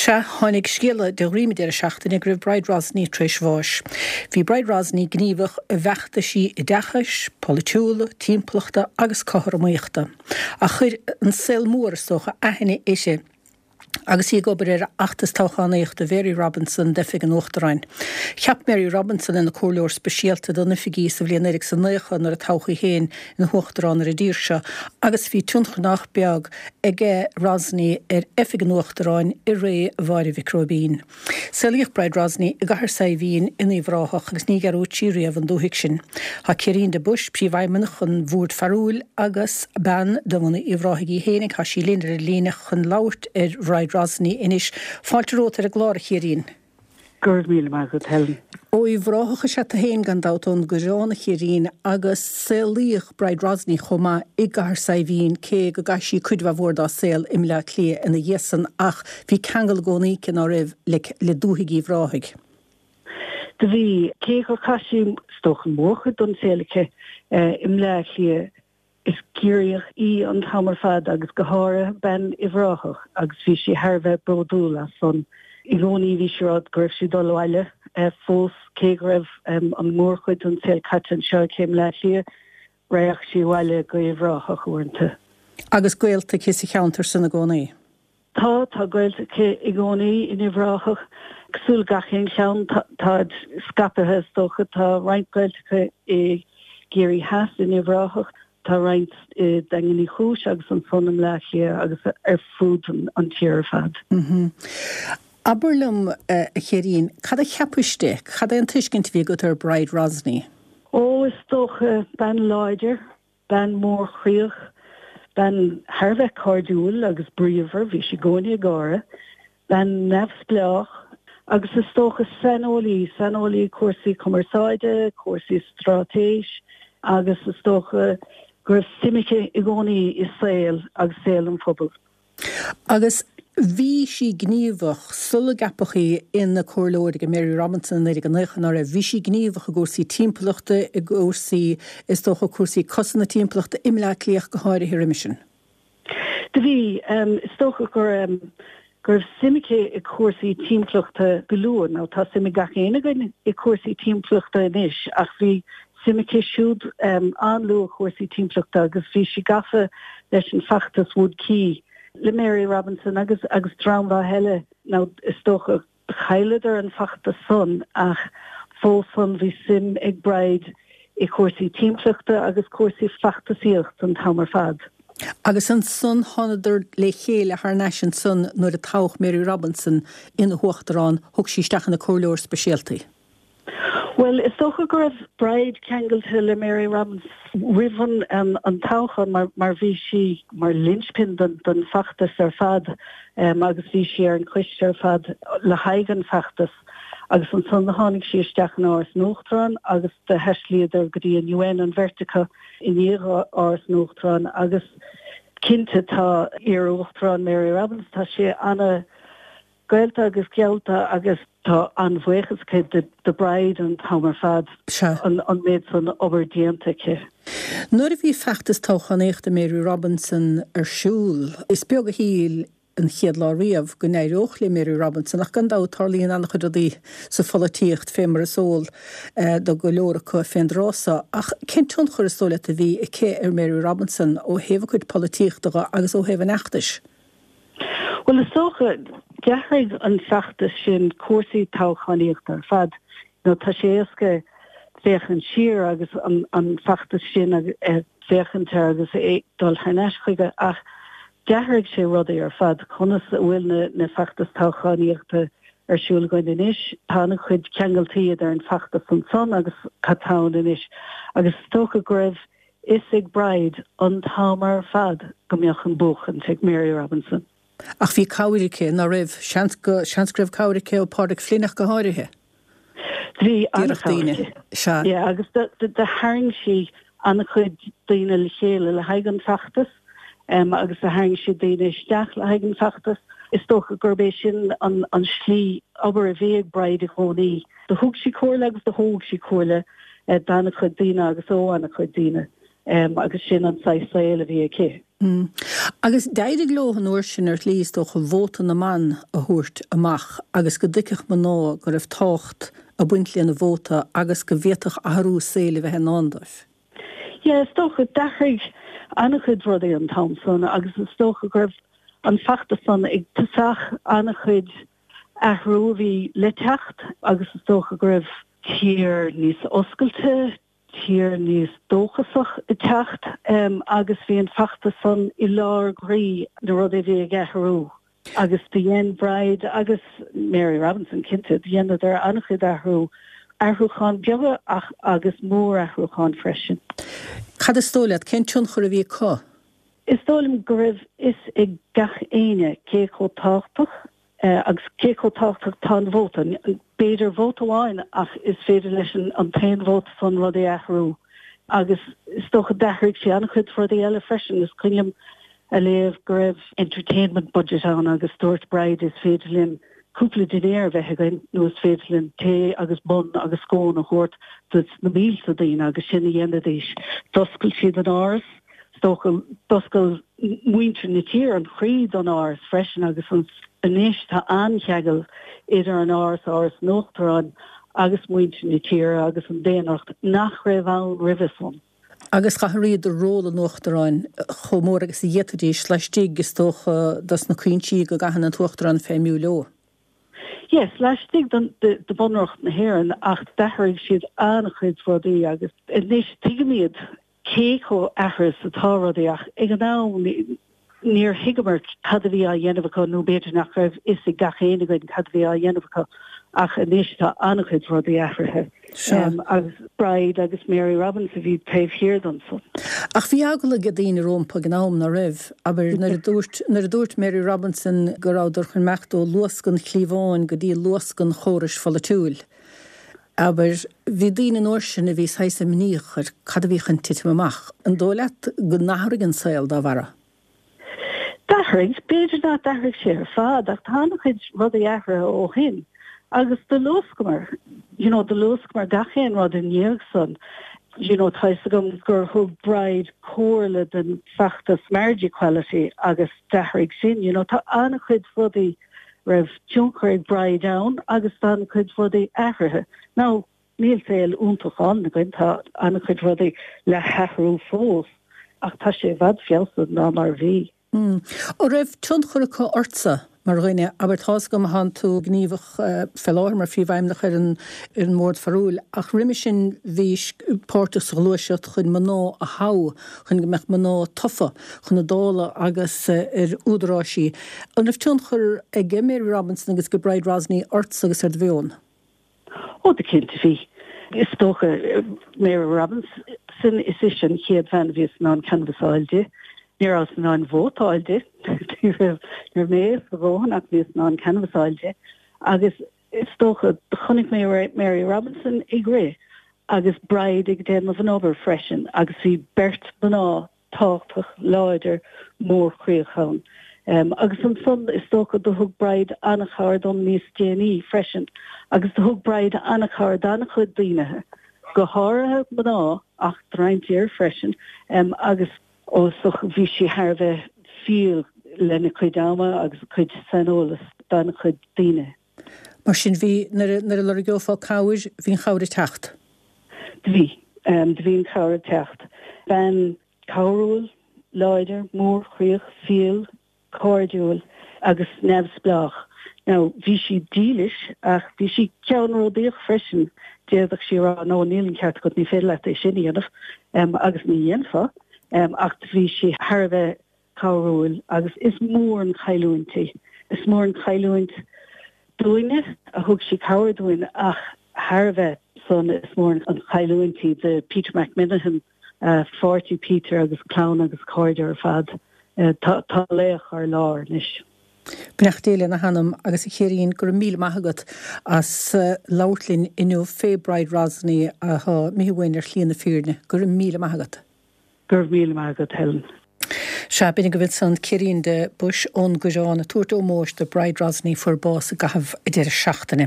Sea, tháinig scéala de dhroim an deireadh seachtaine go raibh Bride Rosney tar éis bháis. Bhí Bride Rosney gníomhach i bhfeachtaisí oideachais, polaitiúla, timpeallachta agus cothromaíochta. Ach chuir an saol mór, is dócha, aithne uirthi agus í ag obair ar fheachtas toghchánaíochta Mhary Robinson d'oifig an Uachtaráin. Cheap Mary Robinson ina comhairleoir speisialta don oifig í sa bhliain 1990 nuair a toghadh í féin ina huachtarán ar an dtír seo agus bhí tionchar nach beag aige Rosney ar oifig an Uachtaráin i ré Mháire Mhic Róibín. Saolaíodh Bride Rosney i gCathair Saidhbhín in Uíbh Ráthach agus ní dhearúdfaidh sí riamh an dúthaigh sin. Tá Ciairín de Buis, Príomhfheidhmeannach an Bhoird Pharúil agus bean de bhunadh Uíbh Ráthaigh í féinig, tá sí linn ar an líne chun labhairt ar Bhride Rosney anois. Fáilte romhat ar an gclár, a Chiairín. Go raibh míle maith agat, Helen. Ó Uíbh Ráthach is ea tú féin, gan dabht, ón gCoireán, a Chiairín, agus saolaíodh Bride Rosney chomh maith i gCathair Saidhbhín, cé go gcaith sí cuid mhaith mhór dá saol i mBleá Cliath ina dhiaidh san, ach bhí ceangal i gcónaí aici, ná raibh, le le dúthaigh Uíbh Ráthaigh. Do bhí. Cé gur chaith sí, is dócha, an mhórchuid den saol aici i mBleá Cliath, Is Ciarraíoch í an t-am ar fad agus go háirithe bean Uíbh Ráthach agus bhí sí thar a bheith bródúil as san. I gcónaí bhí sí ag rá go raibh sí ag dul abhaile fós cé go raibh an mhórchuid den saol caite anseo aici i mBleá Cliath, raghadh sí abhaile go Uíbh Ráthach uaireanta. Agus gaolta aici sa cheantar san i gcónaí. Tá, tá gaolta aici i gcónaí in Uíbh Ráthach. Cosúil le gach aon cheann, táid scaipthe is dócha. Tá roinnt gaolta aici i gCiarraí Theas, in Uíbh Ráthach, tá roinnt i nDaingean Uí Chúis agus ansan i mBleá Cliath agus ar fud an tír ar fad. Abair liom, a Chiairín, cad a cheapais di? Cad é an tuiscint a bhí agat ar Bride Rosney? Ó, is dócha, bean láidir, Bean mhórchroíoch, bean thar a bheith cairdiúil agus bríomhar, bhí sí i gcónaí ag gáire, bean neamhspleách agus is dócha saineolaí, saineolaí cúrsaí cumarsáide, cúrsaí straitéis agus is dócha go raibh suim aici i gcónaí i saol agus saol an phobail. Agus bhí sí gníomhach sula gceapadh í ina comhairleoir ag Mary Robinson i 1990, ná raibh? Bhí sí gníomhach i gcúrsaí timpeallachta, i gcúrsaí, is dócha, cúrsaí cosanta timpeallachta i mBleá Cliath go háirithe roimis sin. Do bhí. Is dócha go raibh suim aici i cúrsaí timpeallachta go luath. Now tá suim ag gach éinne againn i cúrsaí timpeallachta anois ach bhí suim aici siúd an-luath i gcúrsaí timpeallachta agus bhí sí gafa leis an feachtas Wood Quay le Mary Robinson agus agus dream mhaith eile. Now is dócha chailleadar an feachtas san ach fós san bhí suim ag Bride i cúrsaí timpeallachta agus cúrsaí feachtasaíocht an t-am ar fad. Agus ansan thánadar le chéile thar n-ais ansan nuair a toghadh Mary Robinson ina huachtarán, thug sí isteach ina comhairleoir speisialta í. Bhuel, is dócha go raibh Bride ceangailte le Mary Robinson roimh an toghchán mar bhí sí mar linchpin don feachtas ar fad agus bhí sí ar an choiste ar fad le haghaidh an feachtas agus ansan do tháinig sí isteach in Áras an Uachtaráin agus do thaistealaíodar go dtí an UN an bheirt acu i ndiaidh Áras an Uachtaráin agus cinnte tá iar-Uachtarán Mary Robinson, tá sí ana gaolta agus geallta agus tá an-bhuíochas aici do Bride an t-am ar fad an méid san obair déanta aici. Nuair a bhí feachtas toghchánaíochta Mary Robinson ar siúl, is beag a shíl an chéad lá riamh go n-éireodh le Mary Robinson ach gan dabht tarlaíonn an-chuid rudaí sa pholaitíocht fé mar is eol do go leor acu fén dtráth so. Ach cén tionchar is dóigh leat a bhí aici ar Mary Robinson ó thaobh a cuid polaitíochta dhe agus ó thaobh an fheachtais? Bhuel, is dócha, d'athraigh an feachtas sin cúrsaí toghchánaíochta ar fad. Nó tá sé éasca féachaint siar agus an feachtas sin a féachaint air agus é dul thar n-ais chuige ach d'athraigh sé rudaí ar fad. Conas a bhfuil na feachtais toghchánaíochta ar siúl againn anois, tá an-chuid ceangaltaí idir an feachtas ansan agus cad tá ann anois agus is dócha go raibh fhios ag Bride an t-am ar fad go mbeadh an buachaint ag Mary Robinson. Ach bhí cabhair aici, ná raibh? Seans go, seans go raibh cabhair aici ó Pádraig Flynn ach go háirithe. Bhí an-chabhair aici. Sea. Yeah, agus do, do, do tharraing sí an-chuid daoine le chéile le haghaidh an feachtas agus do tharraing sí daoine isteach le haghaidh an feachtas. Is dócha gurb é sin an, an slí obair a bhí ag Bride i gcónaí. Do thug sí comhairle agus do thóg sí comhairle d'an-chuid daoine agus ó an-chuid daoine. Agus sin an saghas saoil a bhí aici. Agus d'éirigh leo an uair sin ar shlí, is dócha, vóta na mban a thabhairt amach agus go dtuigfeadh mná go raibh tábhacht ag baint lena vóta agus go bhféadfadh athrú saoil a bheith i ndán dóibh. Yeah, is dócha, d'athraigh an-chuid rudaí an t-am san agus is dócha go raibh an feachtas san ag tosach an-chuid athrú a bhí le teacht agus is dócha go raibh tír níos oscailte, tír níos dóchasach ag teacht agus bhí an feachtas san i lár groí na rudaí a bhí ag athrú agus do dhein Bride agus Mary Robinson cinnte, do dheineadar an-chuid athrú, athrúcháin beaga ach agus mór-athrúcháin freisin. Cad is dóigh leat, cén tionchar a bhí acu? Is dóigh liom go raibh fhios ag gach éinne cé chomh tábhachtach Agus cé chomh tábhachtach tá an vóta? B'fhéidir vóta amháin ach is féidir leis an t-aon vóta san rudaí a athrú. Agus is dócha d'athraigh sé an-chuid rudaí eile freisin. Is cuimhin liom a léamh go raibh entertainment budget ann agus dúirt Bride is féidir linn cúpla dinnéar a bheith againn nó is féidir linn tae agus bun agus scone a thabhairt do na mílte daoine agus sin a dhéanaidís. D'oscail siad an áras. Is dócha, d'oscail muintir na tíre an chroí don Áras freisin agus anois tá an-cheangal idir an Áras, Áras an Uachtaráin agus muintir na tíre agus an daonracht nach raibh ann roimhe san. Agus d'athraíodar ról an Uachtaráin chomh mór agus a d'fhéadfaidís laistigh, is dócha, dos na cuinsí go gcaitheann an tUachtarán feidhmiú leo. Yes, laistigh de Bhunreacht na hÉireann ach d'athraigh siad an-chuid rudaí agus anois tuigimid cé chomh athraithe is atá rudaí ach ag an am níor thuigeamar cad a bhí á dhéanamh acu nó b'fhéidir nach raibh fhios ag gach éinne againn cad a bhí á dhéanamh acu ach anois tá an-chuid rudaí athraithe agus Bride agus Mary Robinson a bhí taobh thiar den san. Ach bhí eagla ag daoine rompu ag an am, ná raibh? Abair, nuair a dúirt, nuair a dúirt Mary Robinson go rabhadar chun imeacht ó luasc an chliabháin go dtí luasc an chórais pholaitiúil. Abair, bhí daoine an uair sin a bhí saghas imníoch ar cad a bhí chun titim amach. An dóigh leat go n-athraigh an saol dá bharra? D'athraigh. B'fhéidir nach d'athraigh sé ar fad ach tá an-chuid rudaí athraithe ó shin agus do luascamar, you know, do luascamar gach aon rud i ndiaidh san. You know, tá fhios agam gur thug Bride comhairle don feachtas marriage equality agus d'athraigh sin, you know, tá an-chuid rudaí raibh tionchar ag Bride ann agus tá an-chuid rudaí athraithe. Now, níl saol iontach álainn againn, tá an-chuid rudaí le hathrú fós, ach tá sé i bhfad feabhsaithe ná mar a bhí. An raibh tionchar acu ortsa mar dhuine? Abair, tá's agam thánn tú gníomhach fé láthair mar phríomhfheidhmeannach ar an ar an mBord Parúil, ach roimhe sin bhís páirteach sa ghluaiseacht chun mná a thoghadh, chun go mbeadh mná tofa chun na Dála agus ar údaráisí. An raibh tionchar ag Mary Robinson agus ag Bride Rosney ortsa agus ar do mheon? Ó, go cinnte bhí. Is dócha, Mary Robinson, is ise an chéad bhean a bhíos in ann canbhas a fháil di. Ní rabhas in ann vóta a fháil di. Ní raibh mé éasca a dhóthain ach bhíos in ann canbhas a fháil di. Agus is dócha, chonaic mé Mary Robinson ag rith agus Bride ag déanamh an obair freisin agus bhí beirt mná tábhachtach, láidir, mórchroíoch ann. Agus ansan, is dócha, do thug Bride an-chabhair dom níos déanaí freisin agus do thug Bride an-chabhair d'an-chuid daoine, go háirithe mná ach do roinnt fhir freisin, agus ó is dócha bhí sí thar a bheith fial lena cuid ama agus a cuid saineolas d'an-chuid daoine. Mar sin, bhí, nuair a, nuair a lorgeofá cabhair, bhí an chabhair ag teacht. Do bhí. Do bhí an chabhair ag teacht. Bean cabhrúil, láidir, mórchroíoch, fial, cairdiúil agus neamhspleách. Now, bhí sí dílis ach bhí sí ceannródaíoch freisin. D'fhéadfadh sí a rá, no, níl an ceart agat, ní féidir leat é sin a dhéanamh, agus ní dhéanfá. Ach bhí sí thar a bheith cabhrúil agus is mór an chailliúint í. Is mór an chailliúint dúinne a thug sí cabhair dúinn ach thar a bheith san is mór an chailliúint í do Peter McMinihan, pháirtí Peter agus clann agus cairde ar fad. Tá laoch ár lár anois. Beannacht Dé lena hanam agus a Chiaráin, go raibh míle maith agat as labhairt linn inniu fé Bride Rosney atá imithe uainn ar shlí na fírinne. Go raibh míle maith agat. Go raibh míle maith agat, Helen. Sea, b'in agaibh ansan Ciairín de Buis ón gCoireán ag tabhairt ómóis do Bride Rosney fuair bás i gcaitheamh an deireadh seachtaine.